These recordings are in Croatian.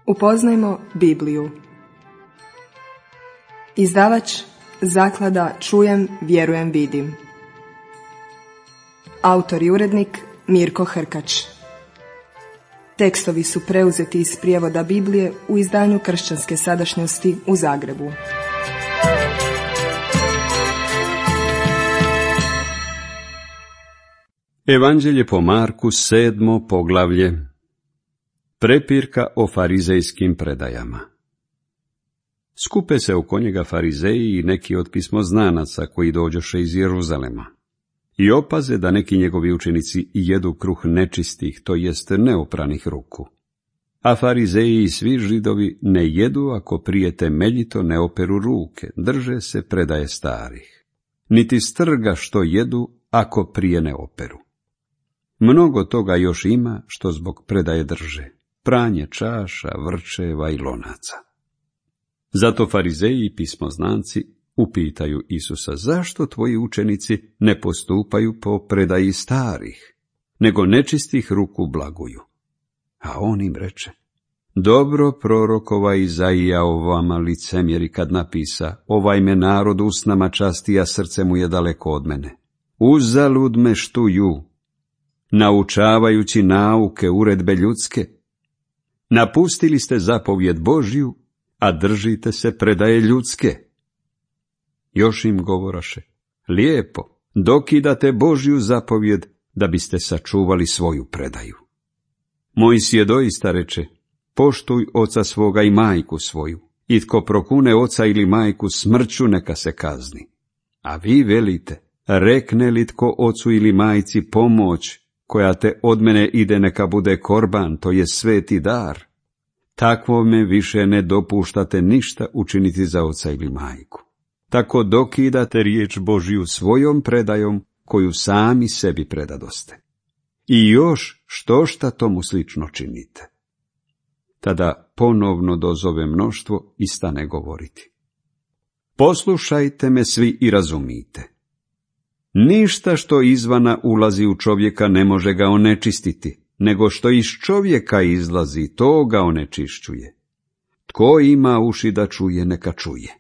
Upoznajmo Bibliju. Izdavač Zaklada Čujem, vjerujem, vidim. Autor i urednik Mirko Hrkač. Tekstovi su preuzeti iz prijevoda Biblije u izdanju Kršćanske sadašnjosti u Zagrebu. Evanđelje po Marku, 7. poglavlje. Prepirka o farizejskim predajama. Skupe se oko njega farizeji i neki od pismoznanaca koji dođoše iz Jeruzalema i opaze da neki njegovi učenici jedu kruh nečistih, to jest neopranih ruku. A farizeji i svi Židovi ne jedu ako prije temeljito ne operu ruke, drže se predaje starih, niti strga što jedu ako prije ne operu. Mnogo toga još ima što zbog predaje drže, pranje čaša, vrčeva i lonaca. Zato farizeji i pismoznanci upitaju Isusa, zašto tvoji učenici ne postupaju po predaji starih, nego nečistih ruku blaguju? A on im reče, dobro prorokova Izaija o vama licemjeri kad napisa, ovaj me narod usnama časti, a srce mu je daleko od mene. Uzalud me štuju, naučavajući nauke, uredbe ljudske. Napustili ste zapovjed Božju, a držite se predaje ljudske. Još im govoraše, lijepo, dokidate Božju zapovjed da biste sačuvali svoju predaju. Mojsije doista reče, poštuj oca svoga i majku svoju, i tko prokune oca ili majku smrću neka se kazni. A vi velite, rekne li tko ocu ili majci pomoć, koja te od mene ide neka bude korban, to je sveti dar, takvome više ne dopuštate ništa učiniti za oca ili majku. Tako dokidate riječ Božju svojom predajom, koju sami sebi predadoste. I još štošta tomu slično činite. Tada ponovno dozove mnoštvo i stane govoriti. Poslušajte me svi i razumite. Ništa što izvana ulazi u čovjeka ne može ga onečistiti, nego što iz čovjeka izlazi, to ga onečišćuje. Tko ima uši da čuje, neka čuje.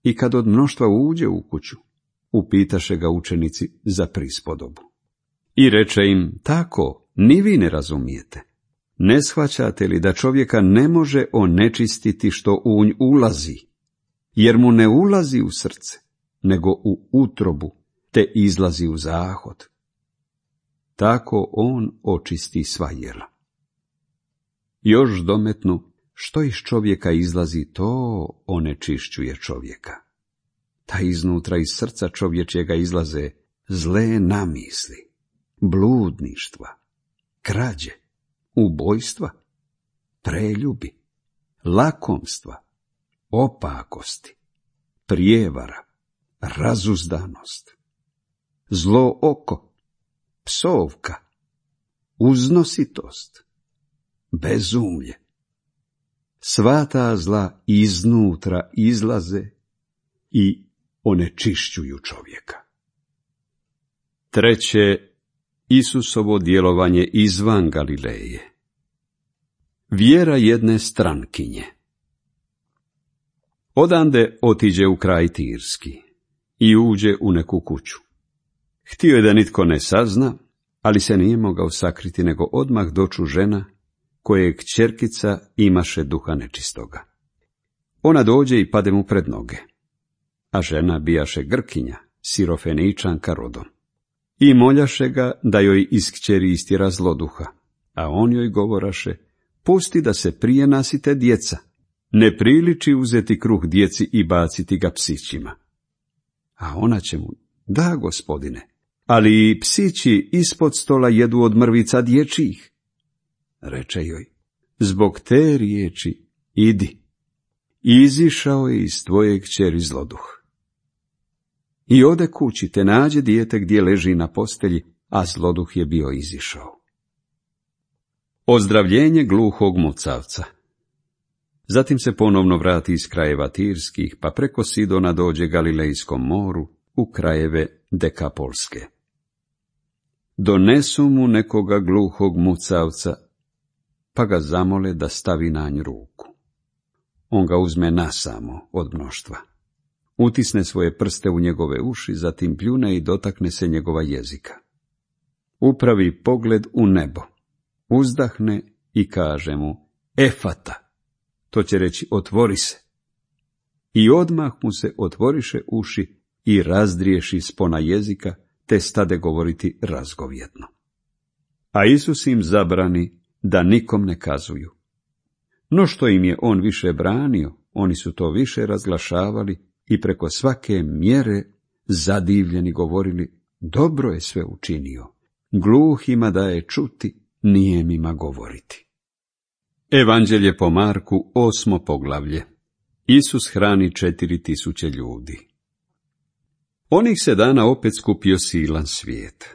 I kad od mnoštva uđe u kuću, upitaše ga učenici za prispodobu. I reče im, tako, ni vi ne razumijete. Ne shvaćate li da čovjeka ne može onečistiti što u nj ulazi, jer mu ne ulazi u srce, nego u utrobu, te izlazi u zahod. Tako on očisti sva jela. Još dometnu, što iz čovjeka izlazi, to onečišćuje čovjeka. Ta iznutra iz srca čovječjega izlaze zle namisli, bludništva, krađe, ubojstva, preljubi, lakomstva, opakosti, prijevara, razuzdanost, zlo oko, psovka, uznositost, bezumlje. Sva ta zla iznutra izlaze i onečišćuju čovjeka. Treće, Isusovo djelovanje izvan Galileje. Vjera jedne strankinje. Odande otiđe u kraj Tirski i uđe u neku kuću. Htio je da nitko ne sazna, ali se nije mogao sakriti, nego odmah doču žena, koje kćerkica imaše duha nečistoga. Ona dođe i pade mu pred noge, a žena bijaše Grkinja, Sirofeničanka rodom. I moljaše ga da joj iz kćeri istjera zloduha, a on joj govoraše, pusti da se prije nasite djeca, ne priliči uzeti kruh djeci i baciti ga psićima. A ona će mu, da, gospodine, ali i psići ispod stola jedu od mrvica dječjih. Reče joj, zbog te riječi idi, izišao je iz tvoje kćeri zloduh. I ode kući, te nađe dijete gdje leži na postelji, a zloduh je bio izišao. Ozdravljenje gluhog mucavca. Zatim se ponovno vrati iz krajeva Tirskih, pa preko Sidona dođe Galilejskom moru u krajeve Dekapolske. Donesu mu nekoga gluhog mucavca pa ga zamole da stavi na nj ruku. On ga uzme nasamo od mnoštva. Utisne svoje prste u njegove uši, zatim pljune i dotakne se njegova jezika. Upravi pogled u nebo, uzdahne i kaže mu: Efata, to će reći otvori se. I odmah mu se otvoriše uši i razdriješi spona jezika, te stade govoriti razgovjetno. A Isus im zabrani da nikom ne kazuju. No što im je on više branio, oni su to više razglašavali i preko svake mjere zadivljeni govorili: dobro je sve učinio, gluhima daje čuti, nijemima govoriti. Evanđelje po Marku, 8. poglavlje. Isus hrani 4000 ljudi. Onih se dana opet skupio silan svijet.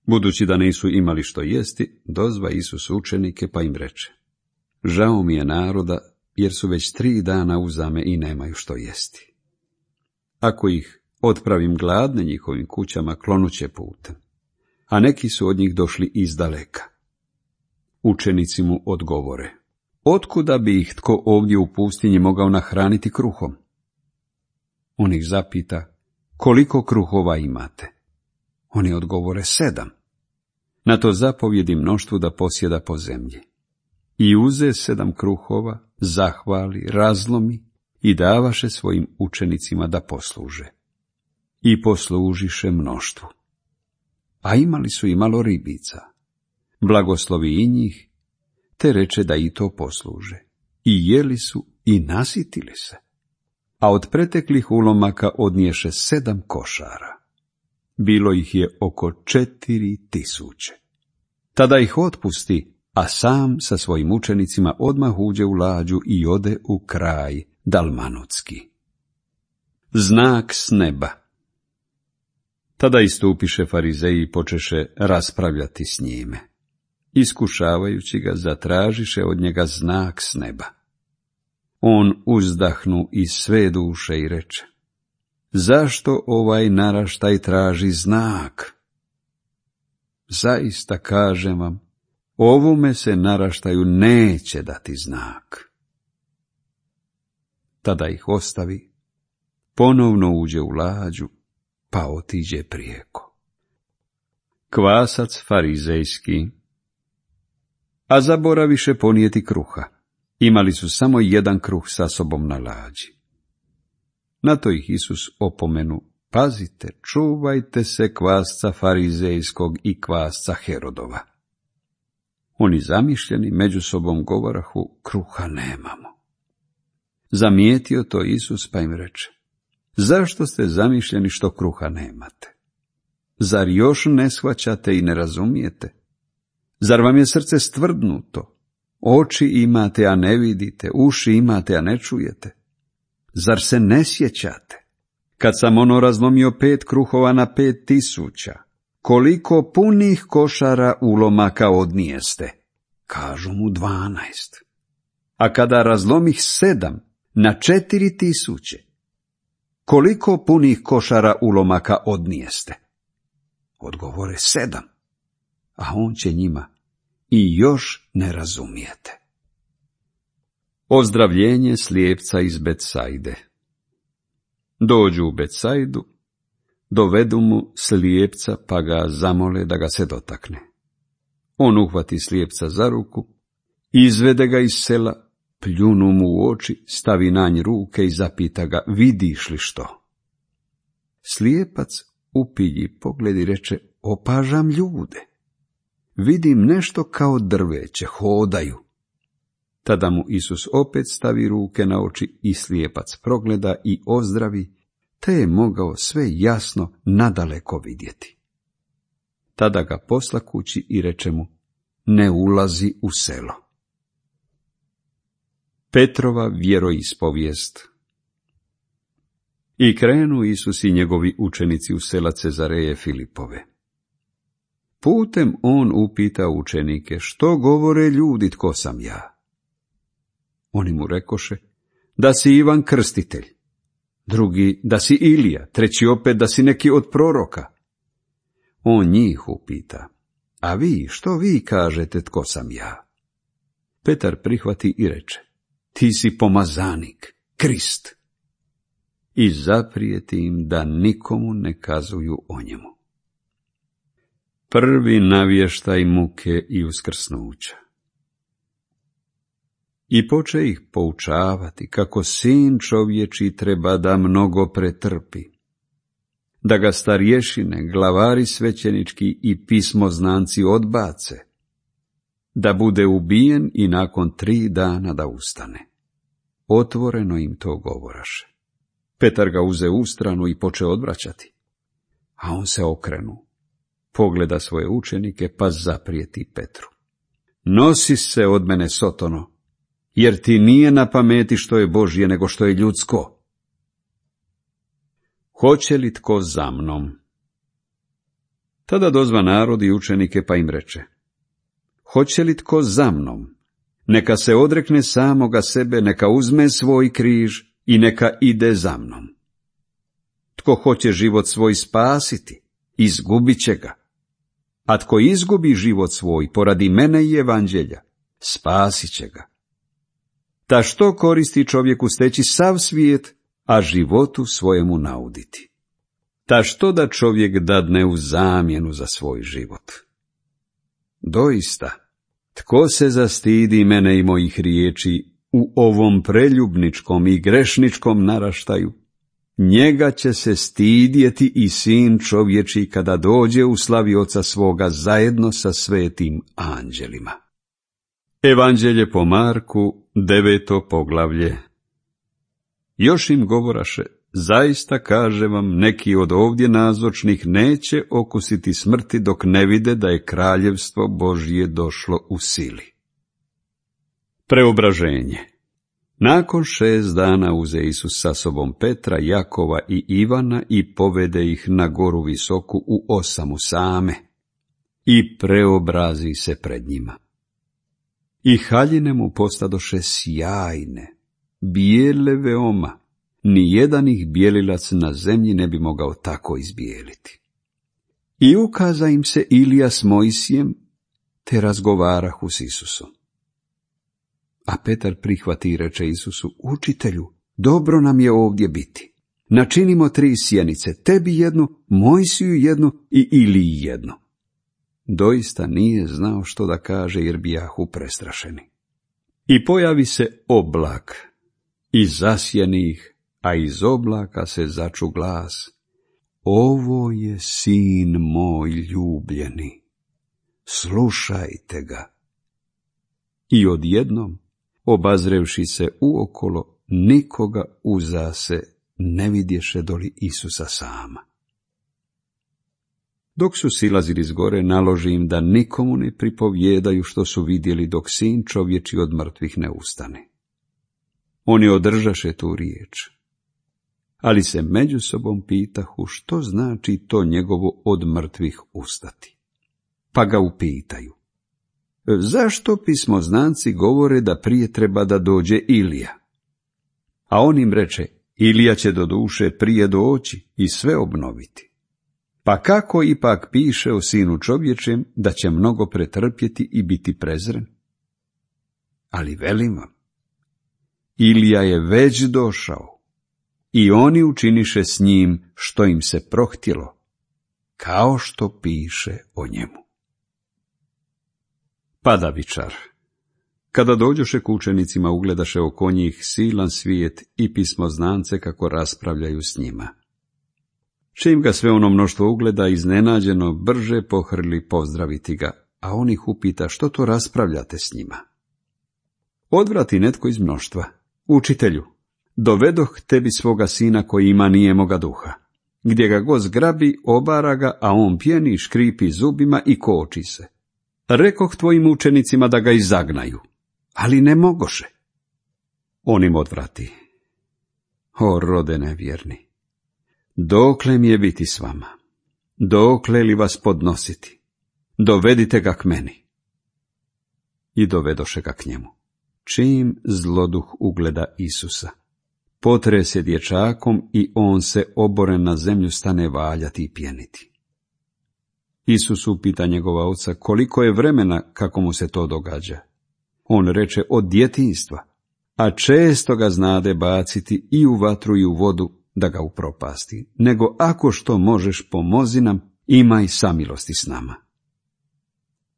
Budući da nisu imali što jesti, dozva Isus učenike pa im reče: žao mi je naroda, jer su već 3 dana uzame i nemaju što jesti. Ako ih otpravim gladne njihovim kućama, klonuće putem, a neki su od njih došli izdaleka. Učenici mu odgovore: otkuda bi ih tko ovdje u pustinji mogao nahraniti kruhom? On ih zapita: koliko kruhova imate? Oni odgovore: 7. Na to zapovjedi mnoštvu da posjeda po zemlji. I uze 7 kruhova, zahvali, razlomi i davaše svojim učenicima da posluže. I poslužiše mnoštvu. A imali su i malo ribica. Blagoslovi i njih, te reče da i to posluže. I jeli su i nasitili se. A od preteklih ulomaka odniješe 7 košara. Bilo ih je oko 4000. Tada ih otpusti, a sam sa svojim učenicima odmah uđe u lađu i ode u kraj Dalmanutski. Znak s neba. Tada istupiše farizeji i počeše raspravljati s njime. Iskušavajući ga, zatražiše od njega znak s neba. On uzdahnu iz sve duše i reče: zašto ovaj naraštaj traži znak? Zaista kažem vam, ovome se naraštaju neće dati znak. Tada ih ostavi, ponovno uđe u lađu, pa otiđe prijeko. Kvasac farizejski. A zaboraviše ponijeti kruha. Imali su samo 1 kruh sa sobom na lađi. Na to ih Isus opomenu: pazite, čuvajte se kvasca farizejskog i kvasca Herodova. Oni zamišljeni među sobom govorahu: kruha nemamo. Zamijetio to Isus pa im reče: zašto ste zamišljeni što kruha nemate? Zar još ne shvaćate i ne razumijete? Zar vam je srce stvrdnuto? Oči imate, a ne vidite, uši imate, a ne čujete. Zar se ne sjećate? Kad sam razlomio 5 kruhova na 5000, koliko punih košara ulomaka odnijeste? Kažu mu 12. A kada razlomih 7 na 4000, koliko punih košara ulomaka odnijeste? Odgovore: 7. A on će njima: i još ne razumijete. Ozdravljenje slijepca iz Betsajde. Dođu u Betsajdu, dovedu mu slijepca pa ga zamole da ga se dotakne. On uhvati slijepca za ruku, izvede ga iz sela, pljunu mu u oči, stavi na nj ruke i zapita ga: vidiš li što? Slijepac upilji pogled i reče: opažam ljude. Vidim nešto kao drveće, hodaju. Tada mu Isus opet stavi ruke na oči i slijepac progleda i ozdravi, te je mogao sve jasno nadaleko vidjeti. Tada ga posla kući i reče mu: ne ulazi u selo. Petrova vjeroispovijest. I krenu Isus i njegovi učenici u sela Cezareje Filipove. Putem on upita učenike: što govore ljudi, tko sam ja? Oni mu rekoše: da si Ivan Krstitelj, drugi da si Ilija, treći opet da si neki od proroka. On njih upita: a vi, što vi kažete, tko sam ja? Petar prihvati i reče: ti si pomazanik, Krist. I zaprijeti im da nikomu ne kazuju o njemu. Prvi navještaj muke i uskrsnuća. I poče ih poučavati kako sin čovječi treba da mnogo pretrpi, da ga starješine, glavari svećenički i pismoznanci odbace, da bude ubijen i nakon 3 dana da ustane. Otvoreno im to govoraše. Petar ga uze u stranu i poče odvraćati, a on se okrenu, pogleda svoje učenike pa zaprijeti Petru: nosi se od mene, Sotono, jer ti nije na pameti što je Božje nego što je ljudsko. Hoće li tko za mnom? Tada dozva narod i učenike pa im reče: hoće li tko za mnom? Neka se odrekne samoga sebe, neka uzme svoj križ i neka ide za mnom. Tko hoće život svoj spasiti, izgubit će ga. A tko izgubi život svoj poradi mene i evanđelja, spasit će ga. Ta što koristi čovjeku steći sav svijet, a životu svojemu nauditi? Ta što da čovjek dadne u zamjenu za svoj život? Doista, tko se zastidi mene i mojih riječi u ovom preljubničkom i grešničkom naraštaju, njega će se stidjeti i sin čovječi kada dođe u slavi Oca svoga zajedno sa svetim anđelima. Evanđelje po Marku, 9. poglavlje. Još im govoraše: zaista kažem vam, neki od ovdje nazočnih neće okusiti smrti dok ne vide da je kraljevstvo Božje došlo u sili. Preobraženje. Nakon 6 dana uze Isus sa sobom Petra, Jakova i Ivana i povede ih na goru visoku u osamu same i preobrazi se pred njima. I haljine mu postadoše sjajne, bijele veoma, nijedan ih bijelilac na zemlji ne bi mogao tako izbijeliti. I ukaza im se Ilija s Mojsijem, te razgovarahu s Isusom. A Petar prihvati i reče Isusu: učitelju, dobro nam je ovdje biti. Načinimo 3 sjenice, tebi jednu, Mojsiju jednu i Iliji jednu. Doista nije znao što da kaže, jer bijahu prestrašeni. I pojavi se oblak i zasjeni ih, a iz oblaka se začu glas: ovo je sin moj ljubljeni, slušajte ga. I odjednom, obazrevši se uokolo, nikoga uzase ne vidješe doli Isusa sama. Dok su silazili s gore, naloži im da nikomu ne pripovjedaju što su vidjeli dok sin čovječi od mrtvih ne ustane. Oni održaše tu riječ, ali se međusobom pitahu što znači to njegovo od mrtvih ustati. Pa ga upitaju: zašto pismoznanci govore da prije treba da dođe Ilija? A on im reče: Ilija će doduše prije doći i sve obnoviti. Pa kako ipak piše o sinu čovječem da će mnogo pretrpjeti i biti prezren? Ali velim vam, Ilija je već došao i oni učiniše s njim što im se prohtjelo, kao što piše o njemu. Padavičar. Kada dođoše k učenicima, ugledaše oko njih silan svijet i pismoznance kako raspravljaju s njima. Čim ga sve ono mnoštvo ugleda, iznenađeno brže pohrli pozdraviti ga, a on ih upita: što to raspravljate s njima? Odvrati netko iz mnoštva: učitelju, dovedoh tebi svoga sina koji ima nijemoga duha. Gdje ga god zgrabi, obara ga, a on pjeni, škripi zubima i koči se. Rekoh tvojim učenicima da ga izagnaju, ali ne mogoše. On im odvrati: o rode nevjerni, dokle mi je biti s vama? Dokle li vas podnositi? Dovedite ga k meni. I dovedoše ga k njemu. Čim zloduh ugleda Isusa, potre se dječakom i on se oboren na zemlju stane valjati i pjeniti. Isus upita njegova oca koliko je vremena kako mu se to događa. on reče od djetinjstva, a često ga znade baciti i u vatru i u vodu da ga upropasti, nego ako što možeš pomozi nam, imaj samilosti s nama.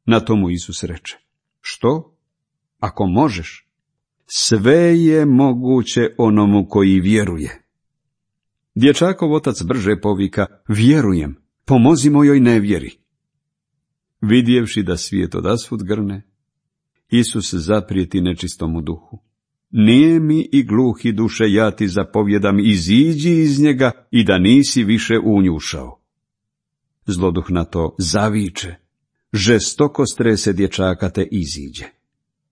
Na tomu Isus reče, što? Ako možeš? Sve je moguće onomu koji vjeruje. Dječakov otac brže povika, vjerujem, pomozi mojoj nevjeri. Vidjevši da svijet odasvud grne, Isus zaprijeti nečistomu duhu. Nijemi i gluhi duše, ja ti zapovjedam, iziđi iz njega i da nisi više u nju ušao. Zloduh na to zaviče, žestoko strese dječaka te iziđe.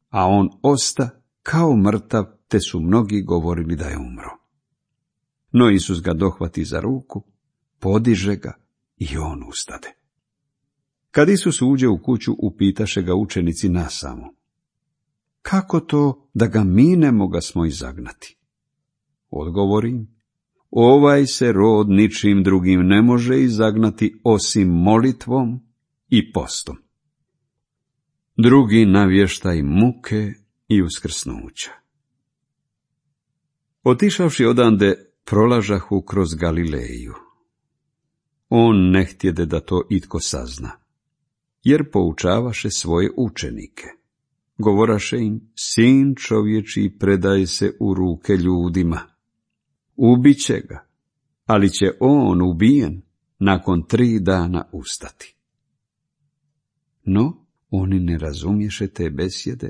A on osta kao mrtav, te su mnogi govorili da je umro. No Isus ga dohvati za ruku, podiže ga i on ustade. Kad Isus uđe u kuću, upitaše ga učenici nasamo, kako to da ga mi ne mogasmo izagnati? Odgovori, ovaj se rod ničim drugim ne može izagnati osim molitvom i postom. Drugi navještaj muke i uskrsnuća. Otišavši odande, prolažahu kroz Galileju. On ne htjede da to itko sazna, jer poučavaše svoje učenike. Govoraše im, sin čovječiji predaje se u ruke ljudima. Ubiće ga, ali će on ubijen nakon 3 dana ustati. No, oni ne razumješe te besjede,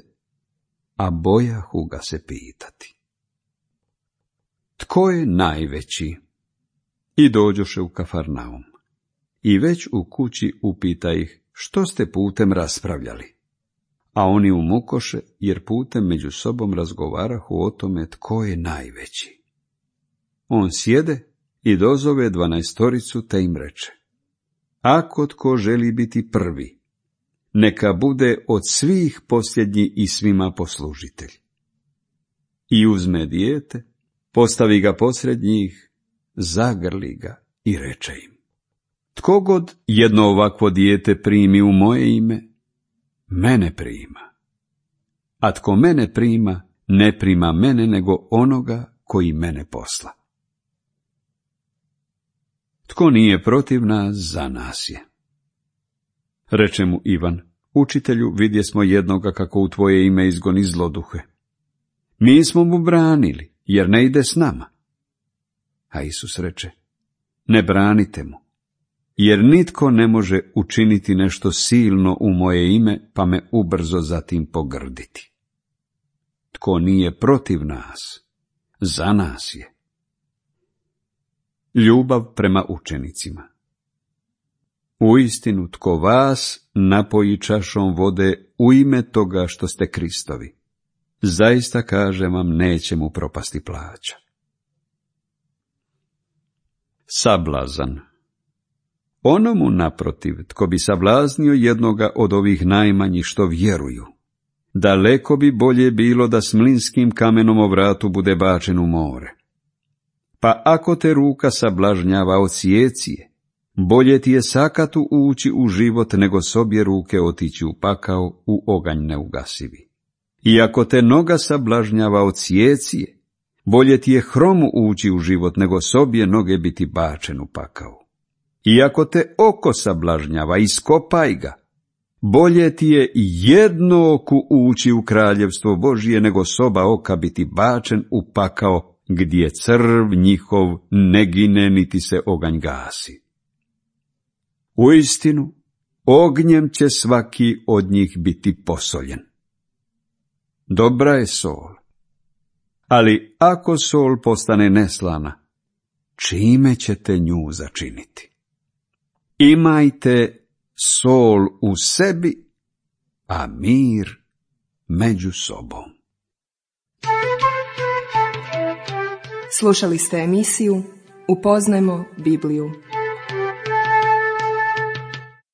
a bojahu ga se pitati. Tko je najveći? I dođoše u Kafarnaum. I već u kući upita ih, što ste putem raspravljali? A oni umukoše, jer putem među sobom razgovarahu o tome tko je najveći. On sjede i dozove 12 te im reče, ako tko želi biti prvi, neka bude od svih posljednji i svima poslužitelj. I uzme dijete, postavi ga posred njih, zagrli ga i reče im, tko god jedno ovakvo dijete primi u moje ime, mene prima. A tko mene prima, ne prima mene, nego onoga koji mene posla. Tko nije protiv nas, za nas je. Reče mu Ivan, učitelju, vidjesmo jednoga kako u tvoje ime izgoni zloduhe. Mi smo mu branili, jer ne ide s nama. A Isus reče, ne branite mu, jer nitko ne može učiniti nešto silno u moje ime, pa me ubrzo zatim pogrditi. Tko nije protiv nas, za nas je. Ljubav prema učenicima. Uistinu, tko vas napoji čašom vode u ime toga što ste Kristovi, zaista kažem vam, neće mu propasti plaća. Sablazan. Onomu naprotiv, tko bi sablaznio jednoga od ovih najmanjih što vjeruju, daleko bi bolje bilo da s mlinskim kamenom o vratu bude bačen u more. Pa ako te ruka sablažnjava, odsjeci je, bolje ti je sakatu ući u život, nego s obje ruke otići u pakao, u oganj neugasivi. I ako te noga sablažnjava, odsjeci je, bolje ti je hromu ući u život, nego s obje noge biti bačen u pakao. I ako te oko sablažnjava, iskopaj ga, bolje ti je jedno oku ući u kraljevstvo Božije, nego s oba oka biti bačen u pakao, gdje crv njihov ne gine, niti se oganj gasi. Uistinu, ognjem će svaki od njih biti posoljen. Dobra je sol, ali ako sol postane neslana, čime ćete nju začiniti? Imajte sol u sebi, a mir među sobom. Slušali ste emisiju Upoznajmo Bibliju.